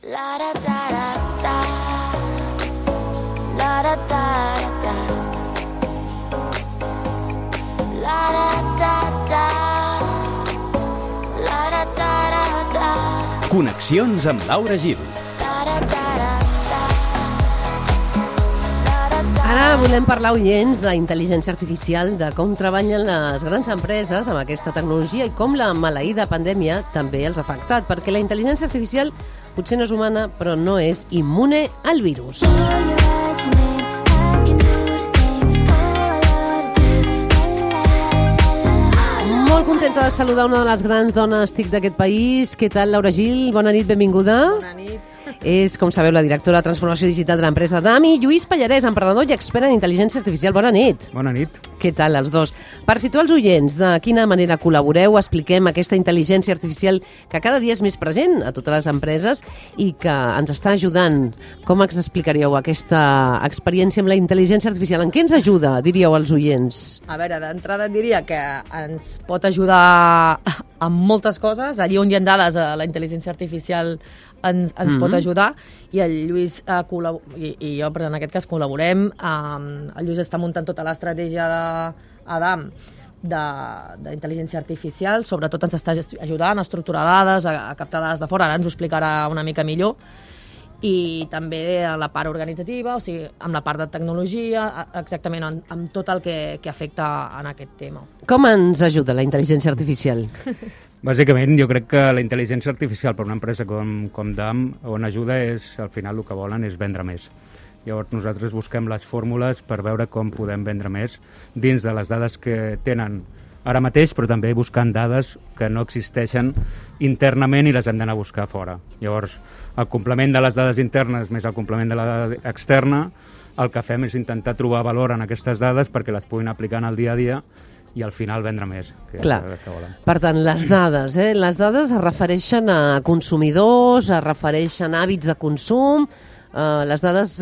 La da da da da, la da da da, la da da da, la da da da. Connexions amb Laura Gil. Ara volem parlar, oients, d'intel·ligència artificial, de com treballen les grans empreses amb aquesta tecnologia i com la maleïda pandèmia també els ha afectat, perquè la intel·ligència artificial potser no és humana, però no és immune al virus. Molt contenta de saludar una de les grans dones TIC d'aquest país. Què tal, Laura Gil? Bona nit, benvinguda. Bona nit. És, com sabeu, la directora de Transformació Digital de l'empresa DAMI. Lluís Pallarès, emprenedor i expert en intel·ligència artificial. Bona nit. Bona nit. Què tal, els dos? Per situar els oients, de quina manera col·laboreu, expliquem aquesta intel·ligència artificial que cada dia és més present a totes les empreses i que ens està ajudant. Com ens explicaríeu aquesta experiència amb la intel·ligència artificial? En què ens ajuda, diríeu als oients? A veure, d'entrada et diria que ens pot ajudar amb moltes coses. Allí on hi ha dades, la intel·ligència artificial ens pot ajudar, i el Lluís i jo, però en aquest cas, col·laborem. El Lluís està muntant tota l'estratègia d'Adam d'intel·ligència artificial, sobretot ens està ajudant a estructurar dades, a captar dades de fora, ara ens ho explicarà una mica millor, i també a la part organitzativa, o sigui, amb la part de tecnologia, exactament amb tot el que afecta en aquest tema. Com ens ajuda la intel·ligència artificial? Bàsicament, jo crec que la intel·ligència artificial per una empresa com DAM, on ajuda és, al final, el que volen és vendre més. Llavors, nosaltres busquem les fórmules per veure com podem vendre més dins de les dades que tenen ara mateix, però també buscant dades que no existeixen internament i les hem d'anar a buscar fora. Llavors, el complement de les dades internes més el complement de la dada externa, el que fem és intentar trobar valor en aquestes dades perquè les puguin aplicar en el dia a dia i al final vendre més. Clar. Per tant, les dades es refereixen a consumidors, es refereixen a hàbits de consum. Les dades,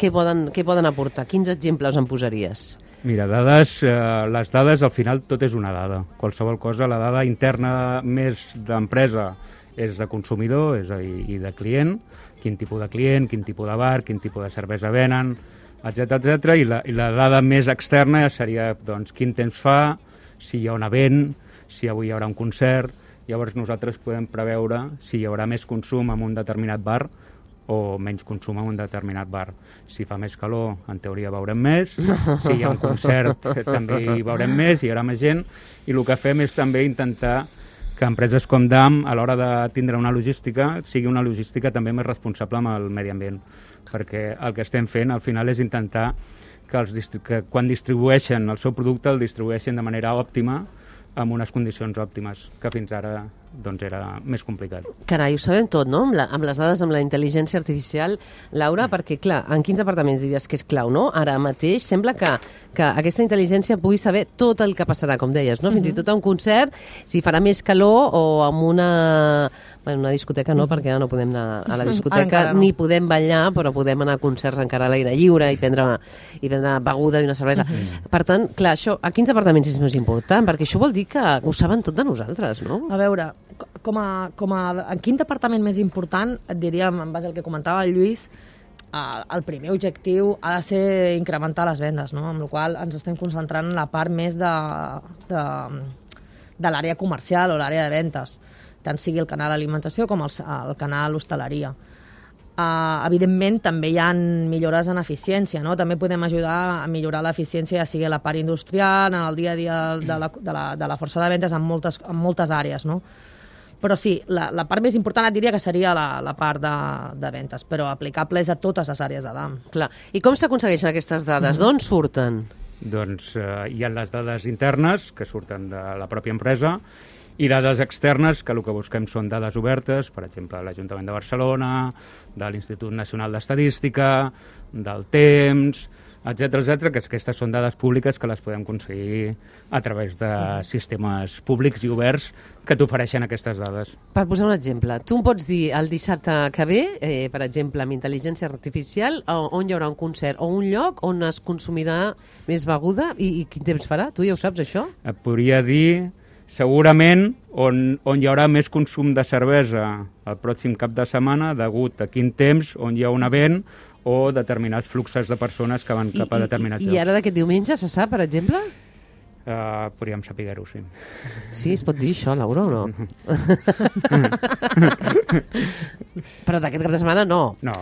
què poden aportar? Quins exemples en posaries? Mira, les dades, al final, tot és una dada. Qualsevol cosa, la dada interna més d'empresa és de consumidor, és a dir, i de client, quin tipus de client, quin tipus de bar, quin tipus de cervesa venen, etc. I la dada més externa seria doncs, quin temps fa, si hi ha un event, si avui hi haurà un concert. Llavors nosaltres podem preveure si hi haurà més consum en un determinat bar o menys consum en un determinat bar. Si fa més calor, en teoria veurem més, si hi ha un concert també hi veurem més, hi haurà més gent, i el que fem és també intentar que empreses com DAM, a l'hora de tindre una logística, sigui una logística també més responsable amb el medi ambient, perquè el que estem fent al final és intentar que quan distribueixen el seu producte el distribueixin de manera òptima, amb unes condicions òptimes, que fins ara doncs era més complicat. Carai, ho sabem tot, no? Amb les dades, amb la intel·ligència artificial, Laura, perquè, clar, en quins departaments diries que és clau, no? Ara mateix sembla que aquesta intel·ligència pugui saber tot el que passarà, com deies, no? Fins i tot a un concert, si farà més calor o amb una discoteca no, perquè no podem anar a la discoteca, ni podem ballar, però podem anar a concerts encara a l'aire lliure i prendre beguda i una cervesa. Per tant, clar, això, a quins departaments és més important? Perquè això vol dir que ho saben tot de nosaltres, no? A veure, en quin departament més important, et diria, en base al que comentava el Lluís, el primer objectiu ha de ser incrementar les vendes, no? Amb la qual cosa ens estem concentrant en la part més de l'àrea comercial o l'àrea de ventes, tant sigui el canal alimentació com el canal hostaleria. Evidentment, també hi ha millores en eficiència, no? També podem ajudar a millorar l'eficiència, ja sigui a la part industrial, en el dia a dia de la força de vendes, en moltes àrees, no? Però sí, la part més important et diria que seria la part de ventes, però aplicable és a totes les àrees de DAM. Clar. I com s'aconsegueixen aquestes dades? D'on surten? Doncs hi ha les dades internes, que surten de la pròpia empresa, i dades externes, que el que busquem són dades obertes, per exemple, de l'Ajuntament de Barcelona, de l'Institut Nacional d'Estadística, del temps, etc., que aquestes són dades públiques que les podem aconseguir a través de sistemes públics i oberts que t'ofereixen aquestes dades. Per posar un exemple, tu em pots dir el dissabte que ve, per exemple, amb intel·ligència artificial, on hi haurà un concert o un lloc on es consumirà més beguda i quin temps farà? Tu ja ho saps, això? Et podria dir segurament on hi haurà més consum de cervesa el pròxim cap de setmana, degut a quin temps, on hi ha un event o determinats fluxos de persones que van cap a determinats llocs. I ara d'aquest diumenge se sap, per exemple? Podríem saber-ho, sí. Sí, es pot dir això, Laura, o no? Però d'aquest cap de setmana no. No.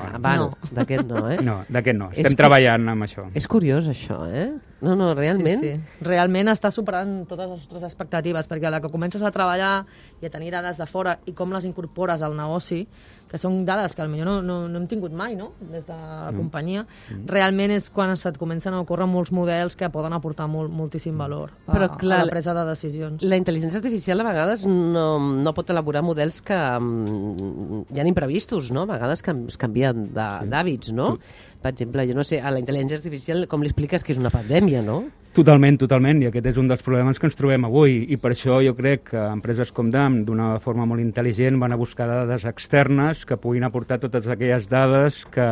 D'aquest no, eh? No, d'aquest no. Estem treballant amb això. És curiós, això, eh? No, realment. Sí. Realment està superant totes les nostres expectatives, perquè a la que comences a treballar i a tenir dades de fora i com les incorpores al negoci, que són dades que potser no hem tingut mai, no?, des de la companyia, realment és quan se't comencen a ocórrer molts models que poden aportar moltíssim valor a la presa de decisions. La intel·ligència artificial a vegades no pot elaborar models que ja han imprevistos, no? A vegades es canvien d'hàbits, no? Per exemple, jo no sé, a la intel·ligència artificial com li expliques que és una pandèmia, no? Totalment, i aquest és un dels problemes que ens trobem avui, i per això jo crec que empreses com DAM, d'una forma molt intel·ligent, van a buscar dades externes que puguin aportar totes aquelles dades que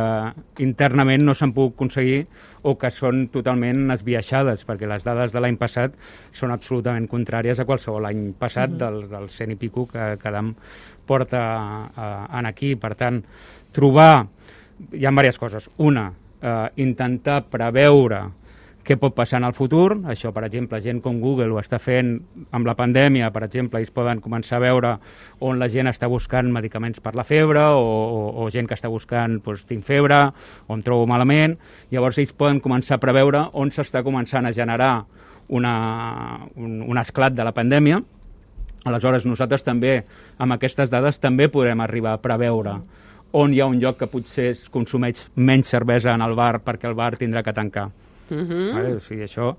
internament no s'han pogut aconseguir o que són totalment esbiaixades, perquè les dades de l'any passat són absolutament contràries a qualsevol any passat dels 100 i pico que DAM porta aquí. Per tant, trobar... Hi ha diverses coses. Una, intentar preveure què pot passar en el futur. Això, per exemple, gent com Google ho està fent amb la pandèmia, per exemple, ells poden començar a veure on la gent està buscant medicaments per la febre o gent que està buscant, doncs, tinc febre, o em trobo malament. Llavors, ells poden començar a preveure on s'està començant a generar un esclat de la pandèmia. Aleshores, nosaltres també, amb aquestes dades, també podrem arribar a preveure on hi ha un lloc que potser es consumeix menys cervesa en el bar perquè el bar tindrà que tancar. Vale? O sigui, això...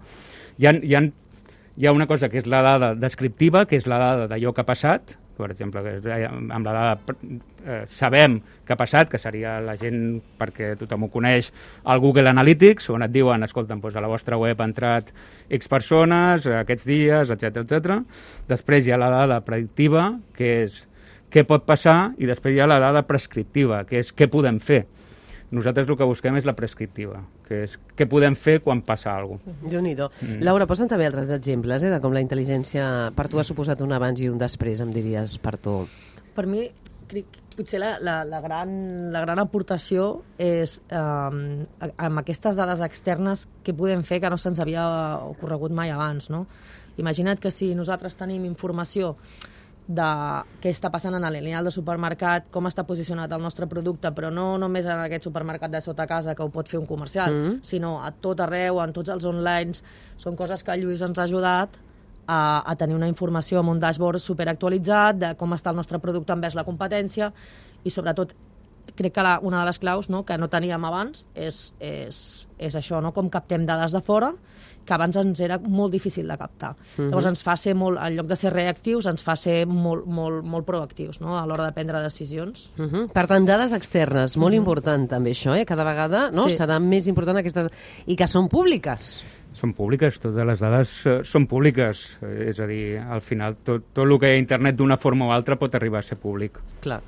Hi ha una cosa que és la dada descriptiva, que és la dada d'allò que ha passat, per exemple, amb la dada sabem que ha passat, que seria la gent, perquè tothom ho coneix, el Google Analytics, on et diuen, escolta'm, doncs a la vostra web ha entrat X persones, aquests dies, etc. Després hi ha la dada predictiva, que és què pot passar, i després hi ha la dada prescriptiva, que és què podem fer. Nosaltres el que busquem és la prescriptiva, que és què podem fer quan passa alguna cosa. Déu-n'hi-do. Laura, posa'm també altres exemples de com la intel·ligència per tu ha suposat un abans i un després, em diries, per tu. Per mi, potser la gran aportació és amb aquestes dades externes què podem fer que no se'ns havia ocorregut mai abans, no? Imagina't que si nosaltres tenim informació de què està passant en el lineal de supermercat, com està posicionat el nostre producte, però no només en aquest supermercat de sota casa que ho pot fer un comercial, sinó a tot arreu, en tots els online. Són coses que el Lluís ens ha ajudat a tenir una informació amb un dashboard superactualitzat de com està el nostre producte envers la competència i, sobretot, crec que una de les claus, no, que no teníem abans és això, no? Com captem dades de fora, que abans ens era molt difícil de captar. Llavors ens fa ser molt, en lloc de ser reactius, ens fa ser molt proactius, no?, a l'hora de prendre decisions. Per tant, dades externes, molt important també això, cada vegada serà més important aquestes, i que són públiques. Són públiques, totes les dades són públiques, és a dir, al final tot el que hi ha a internet d'una forma o altra pot arribar a ser públic. Clar,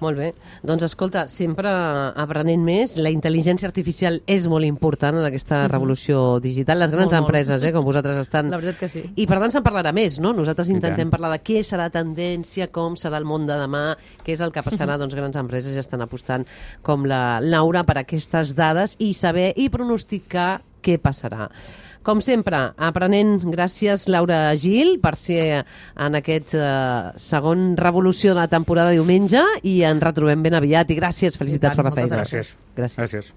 molt bé. Doncs escolta, sempre aprenent més, la intel·ligència artificial és molt important en aquesta revolució digital. Les grans empreses, com vosaltres estan... La veritat que sí. I per tant se'n parlarà més, no? Nosaltres intentem parlar de què serà tendència, com serà el món de demà, què és el que passarà, doncs grans empreses ja estan apostant com la Laura per aquestes dades i saber i pronosticar què passarà. Com sempre, aprenent, gràcies Laura Gil per ser en aquest segon revolució de la temporada diumenge i ens retrobem ben aviat i gràcies, felicitats per la feina. Gràcies.